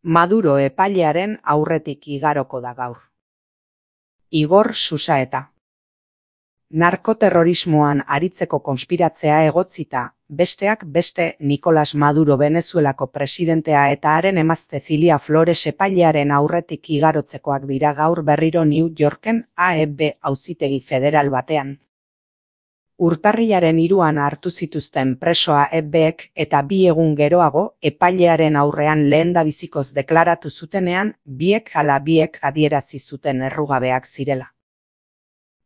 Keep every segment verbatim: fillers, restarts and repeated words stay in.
Maduro epailearen aurretik igaroko da gaur. Igor Susaeta. Narkoterrorismoan aritzeko konspiratzea egotzita, besteak beste Nicolas Maduro Venezuelako presidentea eta haren emazte Cilia Flores epailearen aurretik igarotzekoak dira gaur berriro New Yorken A E B auzitegi federal batean. Urtarrilaren hiruan hartu zituzten preso A E Bek eta bi egun geroago epailearen aurrean lehendabizikoz deklaratu zutenean, biek ala biek adierazi zuten errugabeak zirela.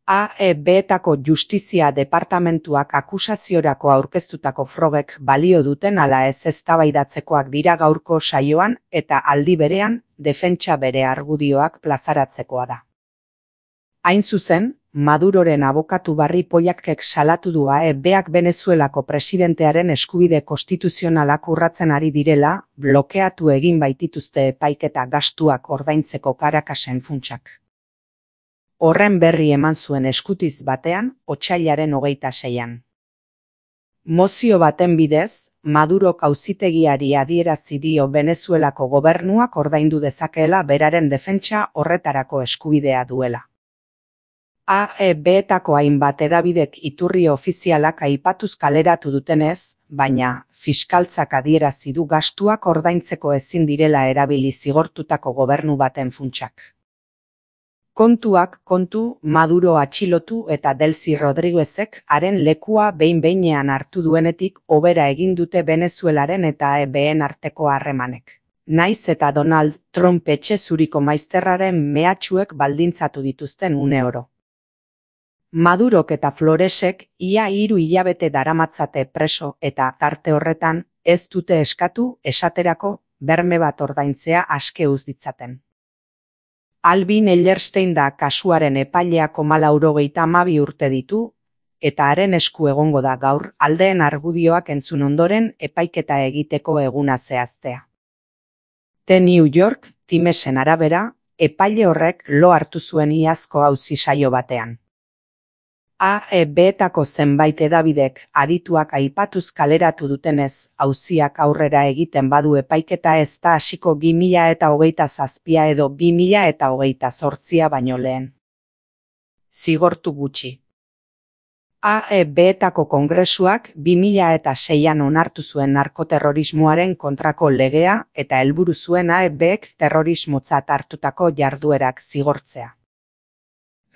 A E Betako Justizia Departamentuak akusaziorako aurkeztutako frogek balio duten ala ez eztabaidatzekoak dira gaurko saioan eta aldi berean defentsa bere argudioak plazaratzekoa da. Hain zuzen, Maduroren abokatu Barry Pollackek salatu du A E Beak Venezuelako presidentearen eskubide konstituzionalak urratzen ari direla, blokeatu egin baitituzte epaiketa gastuak ordaintzeko Caracasen funtsak. Horren berri eman zuen eskutiz batean, otsailaren hogeita seian. Mozio baten bidez, Madurok auzitegiari adierazi dio Venezuelako gobernuak ordaindu dezakeela beraren defentsa horretarako eskubidea duela. A E Betako hainbat hedabidek iturri ofizialak aipatuz kaleratu dutenez, baina fiskaltzak adierazi du gastuak ordaintzeko ezin direla erabili zigortutako gobernu baten funtsak. Kontuak kontu, Maduro atxilotu eta Delcy Rodriguezek haren lekua behin-behinean hartu duenetik hobera egin dute Venezuelaren eta A E Been arteko harremanek. Naiz eta Donald Trump etxe zuriko maizterraren mehatxuek baldintzatu dituzten une oro. Madurok eta Floresek ia hiru hilabete daramatzate preso eta tarte horretan ez dute eskatu esaterako berme bat ordaintzea aske uz ditzaten. Alvin Ellerstein da kasuaren epaileak homalaurogeita hamabi urte ditu, eta haren esku egongo da gaur aldeen argudioak entzun ondoren epaiketa egiteko eguna zehaztea. The New York Timesen arabera, epaile horrek lo hartu zuen iazko auzi saio batean. A E Betako zenbait hedabidek adituak aipatuz kaleratu dutenez, auziak aurrera egiten badu epaiketa ez da hasiko bi mila eta hogeita zazpia edo bi mila eta hogeita zortzia baino lehen. Zigortu gutxi. A E Betako kongresuak bi mila eta seian onartu zuen narkoterrorismoaren kontrako legea eta helburu zuen A E Bek terrorismotzat hartutako jarduerak zigortzea.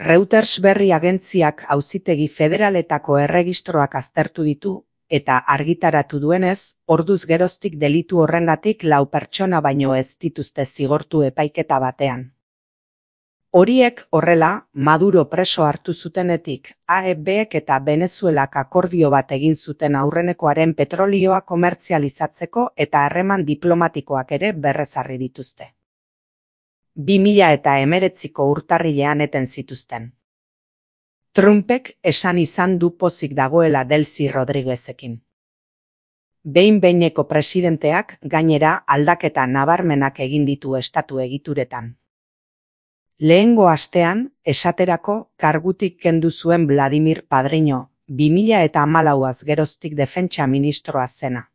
Reuters berri agentziak auzitegi federaletako erregistroak aztertu ditu, eta argitaratu duenez, orduz geroztik delitu horrengatik lau pertsona baino ez dituzte zigortu epaiketa batean. Horiek horrela, Maduro preso hartu zutenetik, A E Bek eta Venezuelak akordio bat egin zuten aurrenekoaren petrolioa komertzializatzeko eta harreman diplomatikoak ere berrezarri dituzte. bi mila eta hemeretziko urtarrilean eten zituzten. Trumpek esan izan du pozik dagoela Delcy Rodriguezekin. Behin-behineko presidenteak gainera aldaketa nabarmenak egin ditu estatu egituretan. Lehengo astean, esaterako kargutik kendu zuen Vladimir Padrino, bi mila eta hamalauaz geroztik defentsa ministroa zena.